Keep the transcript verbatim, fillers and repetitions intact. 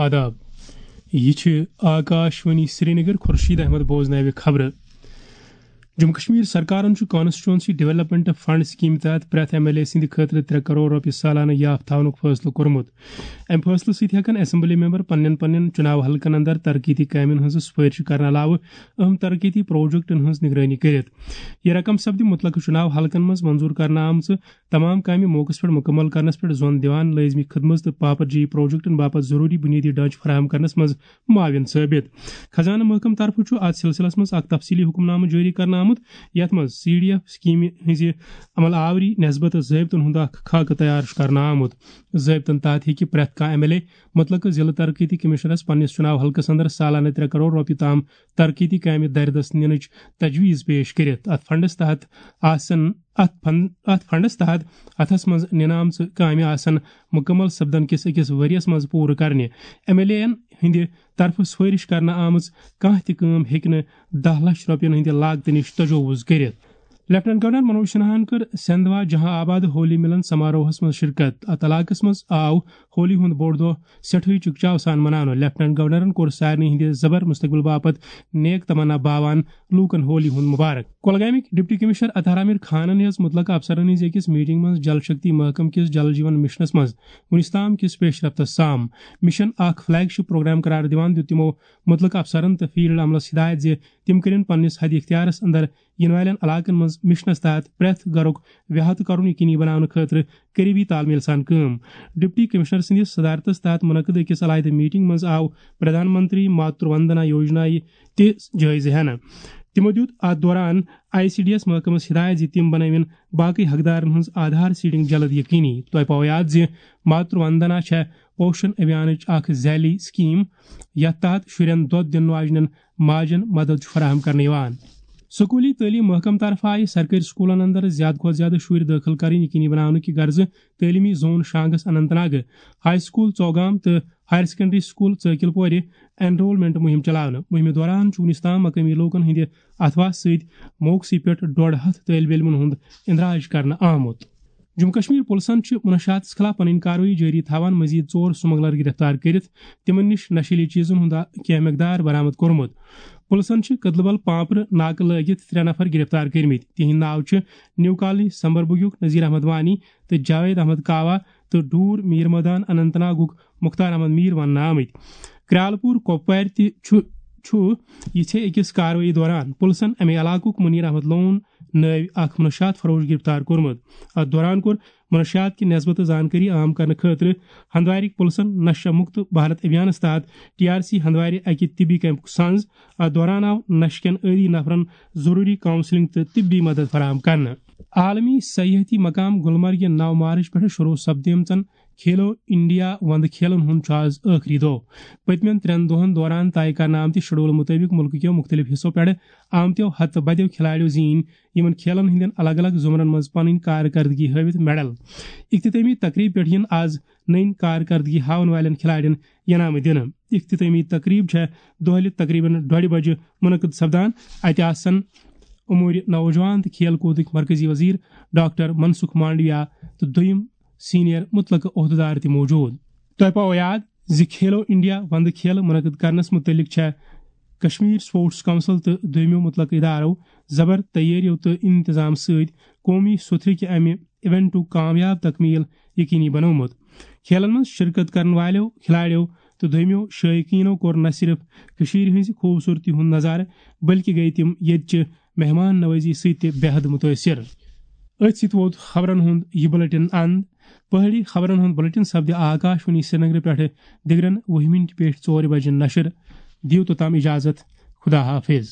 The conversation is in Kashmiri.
آداب، یہِ چھِ آکاش وانی سرینگر۔ خورشید احمد بوزناوِ خبرٕ۔ جموں کشمیر سرکارن چھُ کانسٹیچوئنسی ڈیولپمنٹ فنڈ سکیمہِ تحت پرٛٮ۪تھ ایم ایل اے سٕنٛدِ خٲطرٕ ترٛےٚ کرور رۄپیہِ سالانہٕ یاف تھاونُک فٲصلہٕ کوٚرمُت۔ امہِ فٲصلہٕ سۭتۍ ہٮ۪کن اسمبلی ممبر پننٮ۪ن پننٮ۪ن چُناو حلقن اندر ترقیتی کامٮ۪ن ہٕنٛز سفٲرش کرنہٕ علاوٕ اہم ترقیتی پروجیکٹن ہٕنٛز نگرٲنی کٔرِتھ۔ یہِ رقم سپدِ متعلقہٕ چُناو حلقن منٛز منظور کرنہٕ آمژٕ تمام کامہِ موقعس پٮ۪ٹھ مکمل کرنس پٮ۪ٹھ زون دِوان، لٲزمی خدمژ تہٕ پاپر جی پروجیکٹن باپتھ ضروری بنیٲدی ڈھانچہٕ فراہم کرنس منٛز معاون ثٲبت۔ خزانہٕ محکمہٕ طرفہٕ چھُ اتھ سلسلس منٛز اکھ تفصیلی حکم نامہٕ جٲری کرنہٕ آمُت، یتھ منٛز سی ڈی ایف سکیمہِ ہٕنٛزِ عمل آوری نسبت ضٲبطن ہُنٛد اکھ خاکہٕ تیار چھُ کرنہٕ آمُت۔ ضٲبطن تحت ہیٚکہِ پرٛٮ۪تھ کانٛہہ ایم ایل اے متعلقہٕ ضلع ترقیتی کمشنرس پننِس چُناو حلقس اندر سالانہٕ ترٛےٚ کرور رۄپیہِ تام ترقیتی کامہِ دردس نِنٕچ تجویز پیش کٔرِتھ۔ اتھ فنڈس تحت آسن، اتھ فن-، اتھ فنڈس تحت اتھس منٛز نِنہٕ آمژٕ کامہِ آسن مکمل سپدن کِس أکِس ؤرۍ یَس منٛز پوٗرٕ کرنہِ۔ ایم ایل اے یَن ہٕنٛدِ طرفہٕ سفٲرش کرنہٕ آمٕژ کانٛہہ تہِ کٲم ہیٚکہِ نہٕ دَہ لچھ رۄپین ہٕنٛدِ لاگتہٕ نِش تجاوز کٔرِتھ۔ لیفٹیننٹ گورنر منوج سنہاہن کٔر سندھوا جہاں آباد ہولی ملن سماروہس منٛز شرکت۔ اتھ علاقس منٛز آو ہولی ہُنٛد بوٚڑ دۄہ سٮ۪ٹھٕے چکچاو سان مناونہٕ۔ لیفٹیننٹ گورنرن کوٚر سارنٕے ہٕنٛدِ زبر مستقبل باپتھ نیک تمنا باوان لوٗکن ہولی ہُنٛد مبارک۔ کۄلگامٕکۍ ڈپٹی کمشنر اطہر عامر خانن ہیٚژ متعلقہٕ افسرن ہٕنٛز أکِس میٹنگ منٛز جل شکتی محکمہٕ کِس جل جیون مشنس منٛز وُنیُس تام کِس پیش رفتس سام۔ مشن اکھ فلیگ شپ پروگرام قرار دِوان دیُت تِمو متعلقہٕ افسرن تہٕ فیلڈ عملس ہدایت زِ تِم کٔرِن پننِس حد اختیارس اندر یِنہٕ والٮ۪ن علاقن منٛز مشنس تحت پرٛٮ۪تھ گرُک وحدٕ کرُن یقینی بناونہٕ خٲطرٕ قریبی تال میل سان کٲم۔ ڈپٹی کمشنر سٕنٛدِس صدارتس تحت منعقد أکِس علاحدٕ میٹنگ منٛز آو پردھان منتری ماترو وندنا یوجنایہِ تہِ جٲیزٕ ہٮ۪نہٕ۔ تِمو دیُت اتھ دوران آئی سی ڈی ایس محکمس ہدایت زِ تِم بنٲوِن باقٕے حقدارن ہٕنٛز آدھار سیڈنگ جلد یقینی۔ تۄہہِ پاوو یاد زِ ماترو وندنا چھےٚ پوشن ابھیانٕچ اکھ ذیلی سکیٖم، یتھ تحت شُرٮ۪ن دۄد دِنہٕ واجنٮ۪ن ماجن مدد چھُ فراہم کرنہٕ یِوان۔ سکوٗلی تعلیٖم محکمہٕ طرفہٕ آیہِ سرکٲرۍ سکوٗلن اندر زیادٕ کھۄتہٕ زیادٕ شُرۍ دٲخل کرٕنۍ یقینی بناونہٕ کہِ غرضہٕ تعلیمی زون شانگس اننت ناگہٕ، ہاے سکول ژوگام تہٕ ہایر سیکنڈری سکول ژٲکِل پورِ انرولمنٹ مُہِم چلاونہٕ۔ مُہِمہِ دوران چھُ وُنیُس تام مقٲمی لوٗکن ہٕنٛدِ اتھواسہٕ سۭتۍ موقعسٕے پٮ۪ٹھ ڈۄڈ ہتھ طٲلبہِ علمن ہُنٛد اندراج کرنہٕ آمُت۔ جموں کشمیر پُلسن چھِ منشیاتس خلاف پنٕنۍ کاروٲیی جٲری تھاوان مزید ژور سمگلر گرفتار کٔرِتھ تِمن نِش نشیلی چیزن ہُنٛد کینٛہہ مقدار برآمد کوٚرمُت۔ پُلسن چھِ کدلبل پامپرٕ ناکہٕ لٲگِتھ ترٛےٚ نفر گرفتار کٔرمٕتۍ۔ تِہنٛدۍ ناو چھِ نیو کالنی سمبربُگُک نذیر احمد وانی تہٕ جاوید احمد کاوا تہٕ ڈور میر مٲدان اننت ناگُک مختار احمد میر وننہٕ آمٕتۍ۔ کرالپور کۄپوارِ تہِ چھُ، چھُ یِژھے أکِس کاروٲیی دوران پُلسن اَمہِ علاقُک منیر احمد لون نٲوۍ اکھ منشیات فروش گرفتار کوٚرمُت۔ اتھ دوران کوٚر منشیات کہِ نسبتہٕ زانکٲری عام کرنہٕ خٲطرٕ ہندوارٕکۍ پُلسن نشہ مکت بھارت ابھیانس تحت ٹی آر سی ہندوارِ اکہِ طبی کیمپُک سنز۔ اتھ دوران آو نشہٕ کٮ۪ن عٲدی نفرن ضروری کاؤنسلنگ تہٕ طبی مدد فراہم کرنہٕ۔ عالمی سیاحتی مقام گلمرگہِ نو مارچ پٮ۪ٹھٕ شروع سپدیمژن کھیلو انڈیا وندٕ کھیلن ہُنٛد چھُ آز ٲخری دۄہ۔ پٔتمٮ۪ن ترٛٮ۪ن دۄہن دوران طے کرنہٕ آمتہِ شیڈول مُطٲبِق مُلکہٕ کیو مُختٔلِف حصو پٮ۪ٹھٕ آمتیو ہتہٕ بدیو کھلاڑیو زیٖنۍ یِمن کھیلن ہٕنٛدٮ۪ن الگ الگ زمرن منٛز پنٕنۍ کارکردگی ہٲوِتھ میڈل۔ اختتٲمی تقریب پٮ۪ٹھ یِن آز نٔنۍ کارکردگی ہاون والٮ۪ن کھلاڑٮ۪ن انعامہٕ دِنہٕ۔ اختتٲمی تقریب چھےٚ دۄہلہِ تقریباً ڈۄڈِ بجہِ منعقد سپدان۔ اتہِ آسن امور نوجوان تہٕ کھیل کودٕکۍ مرکزی وزیر ڈاکٹر منسکھ مانڈویا تہٕ دوٚیِم سینئر مُتلقہٕ عہدٕدار تہِ موجود۔ تۄہہِ پاوو یاد زِ کھیلو انڈیا وندٕ کھیل منعقد کرنس مُتعلق چھےٚ کشمیر سپورٹس کونسل تہٕ دوٚیمٮ۪و مُتلقہٕ ادارو زبر تیٲرِیو تہٕ انتظام سۭتۍ قومی سوٚتھرِ کہِ امہِ ایونٹُک کامیاب تکمیل یقینی بنوومُت۔ کھیلن منٛز شرکت کرن والٮ۪و کھلاڑیو تہٕ دوٚیمٮ۪و شائقینو کوٚر نہ صرف کٔشیٖرِ ہٕنٛزِ خوٗبصوٗرتی ہُنٛد نظارٕ، بلکہِ گٔیہِ تِم ییٚتہِ چہِ مہمان نوازی سۭتۍ تہِ بے حد مُتٲثِر۔ أتھۍ سۭتۍ ووت خبرن ہُنٛد یہِ بلیٹن اند۔ پہٲڑی خبرن ہُنٛد بلیٹن سپدِ آکاش وانی سرینگرٕ پٮ۪ٹھٕ دِگرن وُہہِ مِنٹہِ پٮ۪ٹھ ژورِ بجہِ نشر۔ دِیِو توٚتام اجازت۔ خدا حافظ۔